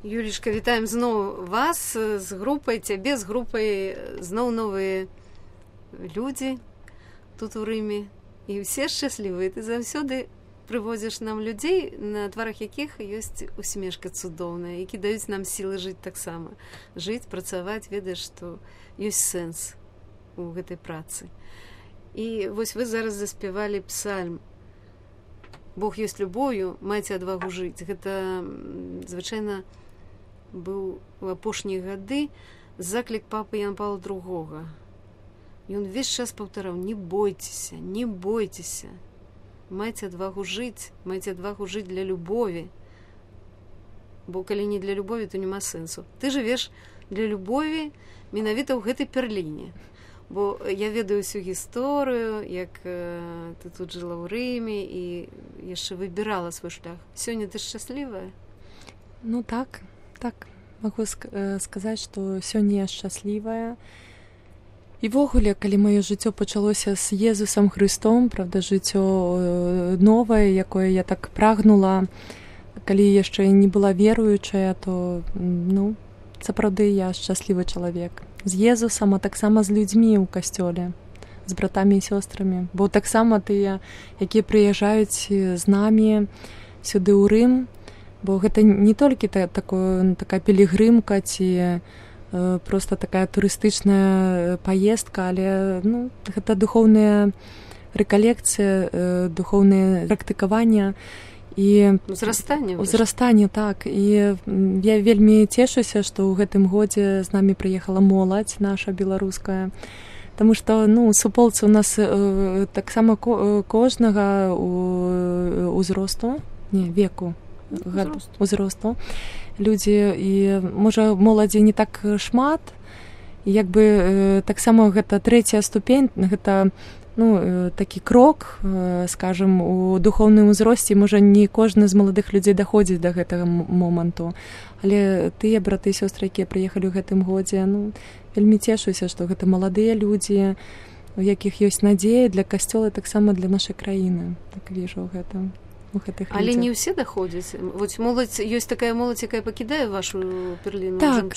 Юлічка, вітаем зноў вас з групай, цябе з групай, зноў новыя людзі тут у Рыме. І ўсе шчаслівыя. Ты заўсёды прывозіш нам людзей, на тварах якіх ёсць усмешка цудоўная, які даюць нам сілы жыць таксама. Жыць, працаваць, ведаеш, што ёсць сэнс у гэтай працы. І вось вы зараз заспявалі псальм «Бог ёсць любоўю, майце адвагу жыць». Гэта звычайна быў у апошнія гады заклік папы Яна Паўла II. Ён увесь час паўтараў: не бойцеся, не бойцеся. Майце адвагу жыць для любові. Бо калі не для любові, то няма сэнсу. Ты жывеш для любові менавіта ў гэтай перліне. Бо я ведаю всю гісторыю, як ты тут жыла ў Рыме і яшчэ выбірала свой шлях. Сёння ты шчаслівая? Ну так, магу сказаць, што сёння я шчаслівая. І ввогуле, калі маё жыццё пачалося з Езусам Хрыстом, правда, жыццё новае, якое я так прагнула, калі яшчэ не была веруючая, то, сапраўды я шчаслівы чалавек. З Езусам, а таксама з людзьмі ў касцёле, з братамі і сёстрамі. Бо таксама тыя, якія прыязджаюць з намі сюды ў Рым, бо гэта не толькі такая пілігрымка ці просто такая турыстычная паездка, але гэта духоўная рэкалекцыя, духоўнае практыкаванне і узрастанне, так. І я вельмі цешуся, што ў гэтым годзе з намі прыехала моладзь наша беларуская, таму што суполцы у нас таксама кожнага узросту людзі, і можа моладзі не так шмат, і таксама гэта трэцяя ступень, гэта такі крок, скажем, у духоўным узросце. Можа не кожны з маладых людзей даходзіць да гэтага моманту, але тыя браты і сёстры, якія прыехалі ў гэтым годзе, вельмі цешуся, што гэта маладыя людзі, у якіх ёсць надзея для касцёла, таксама для нашай краіны. Так віжу гэта. Але не ўсе даходзяць. Вось моладзь, ёсць такая моладзь, якая пакідае вашу перліну. Так.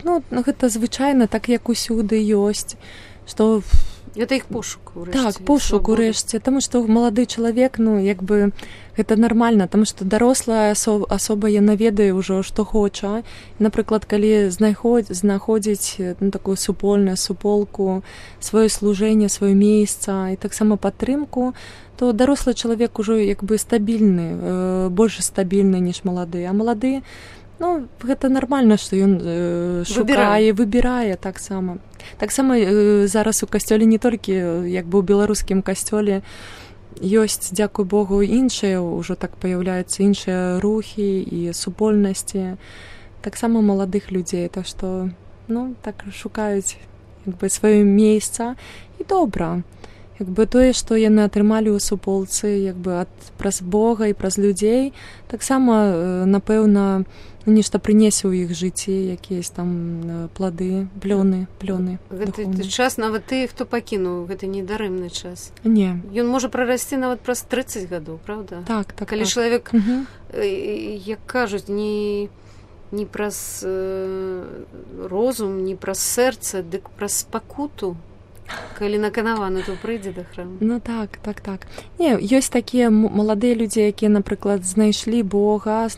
Гэта звычайна, так як усюды ёсць, што гэта іх пошук урэшце. Так, пошук урэшце, таму што малады чалавек, гэта нармальна, таму што дарослая асоба, яна ведае ўжо, што хоча. Напрыклад, калі знаходзіць такую суполку, сваё служэнне, сваё месца і таксама падтрымку, то дарослы чалавек ужо стабільны, больш стабільны, ніж малады. А малады, гэта нармальна, што ён шукае, выбірае таксама. Таксама зараз у касцёле не толькі, у беларускім касцёле, ёсць, дзякуй Богу, іншыя, ўжо так паяўляюцца іншыя рухі і супольнасці, таксама маладых людзей. Так што, так шукаюць сваё месца, і добра. Тое, што яны атрымалі ў суполцы, праз Бога і праз людзей, таксама, напэўна, нешта прынесе ў іх жыцці, якісь там плады, плёны. Гэты час нават тыя, хто пакінуў, гэта недарэмны час. Не. Ён можа прарасці нават праз 30 гадоў, правда? Так. Калі чалавек, як кажуць, не праз розум, не праз сэрца, дык праз спакуту. Калі наканаваны, то прыйдзе да храму. Так. Не, ёсць такія маладыя людзі, якія, напрыклад, знайшлі Бога,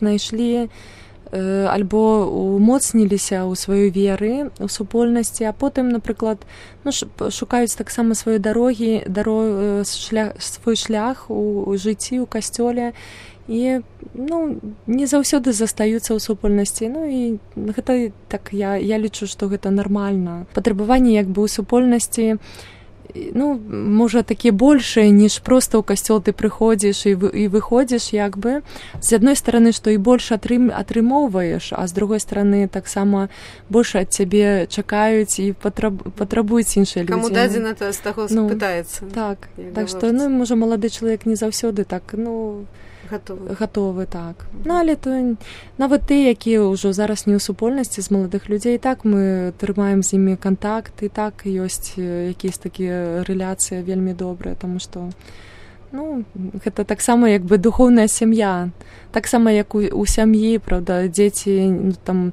альбо умоцніліся ў сваёй веры, у супольнасці, а потым, напрыклад, шукаюць таксама свае свой шлях у жыцці, у касцёле, і не заўсёды застаюцца ў супольнасці. І гэта так, я лічу, што гэта нармальна. Патрабаванні у супольнасці можа такія большыя, ніж проста ў касцёл ты прыходзіш і выходзіш, з адной стараны, што і больш атрымоўваеш, а з другой стараны таксама больш ад цябе чакаюць і патрабуюць іншыя людзі. Каму дадзена, то з таго спытаецца. Так што, можа, малады чалавек не заўсёды так, гатовы, так. Але то нават тыя, якія ўжо зараз не ў супольнасці з маладых людзей, так мы трымаем з імі кантакт, і так ёсць якісь такія рэляцыі вельмі добрыя, таму што Ну, гэта таксама як бы духоўная сям'я. Таксама як у сям'і, правда, дзеці там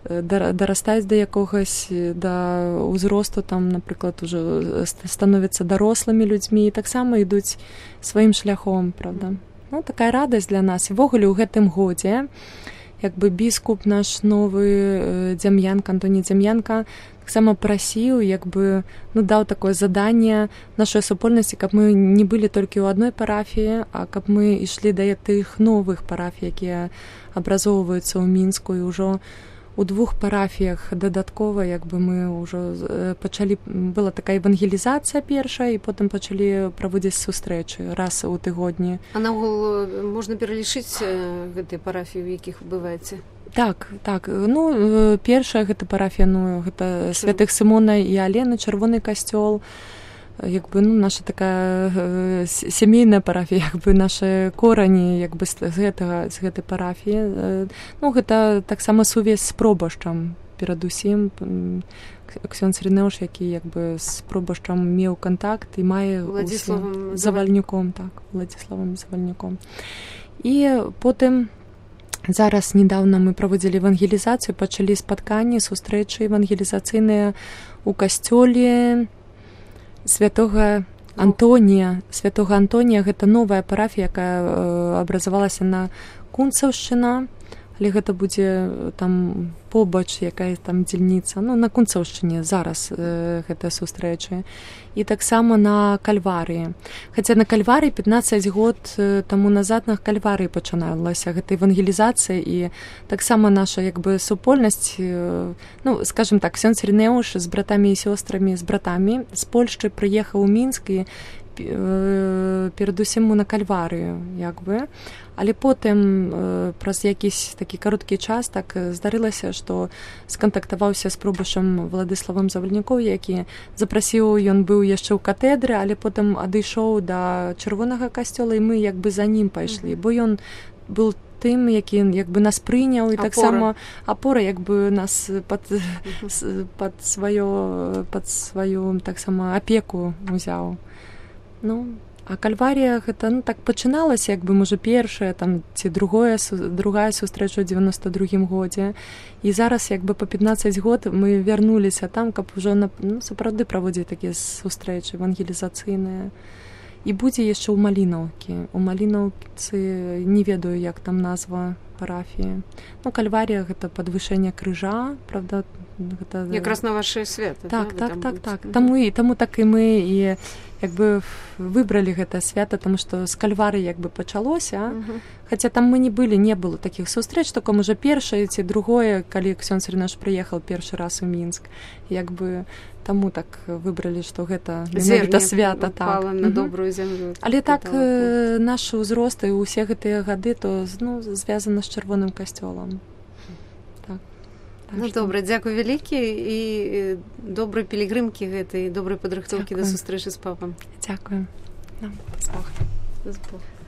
дарастаюць да якогось, да ўзросту, там, напрыклад, ужо становяцца дарослымі людзьмі і таксама ідуць сваім шляхом, правда. Ну, такая радасць для нас. І ввогуле ў гэтым годзе як бы біскуп наш новы Дзям'янка, Антоній Дзям'янка, таксама прасіў, як бы, ну, даў такое заданне нашай супольнасці, каб мы не былі толькі ў адной парафіі, а каб мы ішлі да тых новых парафій, якія абразоўваюцца ў Мінску, і ўжо у 2 парафіях дадаткова, як бы мы ўжо пачалі, была такая евангелізацыя першая, і потым пачалі праводзіць сустрэчы раз у тыгодні. А наогул можна пералічыць гэтыя парафіі, у якіх бываеце? Так. Ну, першая гэта парафія, ну, гэта святых Сымона і Алены, Чырвоны касцёл. Як бы, ну, наша такая сямейная парафія, як бы нашы корані, як бы з гэтай парафіі. Ну, гэта таксама сувязь з пробашчам перадусім. Ксёндз Рынеуш, які як бы з пробашчам меў кантакт і мае Владзіславам Завальнюком, так, Владзіславам Завальнюком. І потым зараз недавно мы праводзілі евангелізацыю, пачалі спатканні, сустрэчы евангелізацыйныя у касцёле святога Антонія. Святога Антонія гэта новая парафія, якая абразавалася на Кунцаўшчына, але гэта будзе там побач, якая там дзельніца, ну, на Кунцаўшчыне зараз гэтыя сустрэчы. І таксама на Кальварыі. Хаця на Кальварыі 15 год таму назад на Кальварыі пачыналася гэта евангелізацыя, і таксама наша як бы супольнасць, ну, скажем так, Ксёндз Рынеуш з братамі і сёстрамі, з братамі з Польшчы прыехаў у Мінск і перадусім на Кальварыю, як бы. Але потым праз якісь такі кароткі час так здарылася, што скантактаваўся з пробашчам Владыславам Завальнюком, які запрасіў, ён быў яшчэ ў катэдры, але потым адышоў да Чырвонага касцёла, і мы як бы за ім пайшлі, бо ён быў тым, які як бы нас прыняў, і таксама апора як бы нас пад сваю таксама апеку узяў. Ну, а Кальварія гэта, ну, так пачыналася, як бы, можа, першая там ці другая сустрэча ў 92-м годзе. І зараз як бы па 15 год мы вярнуліся там, каб ужо, ну, сапраўды праводзіць такія сустрэчы евангелізацыйныя. І будзе яшчэ ў Малінаўкі. У Малінаўцы не ведаю, як там назва парафіі. Ну, Кальварія гэта падвышэнне крыжа, правда, гэта якраз на вашыя святы. Так. Таму так і мы і як бы выбралі гэта свята, таму што з Кальварыі як бы пачалося. Хаця там мы не было такіх сустрэч, толькі можа першае ці другое, калі Ксёндз Рынеуш прыехаў першы раз у Мінск. Як бы таму так выбралі, што гэта свята, так. На добрую зямлю. Але так нашы ўзросты і ўсе гэтыя гады то, ну, звязана з Чырвоным касцёлам. Ну, добра, дзякуй вялікі і добрай пілігрымкі гэтай, добрай падрыхтоўкі да сустрэчы з папам. Дзякуй. З Богом.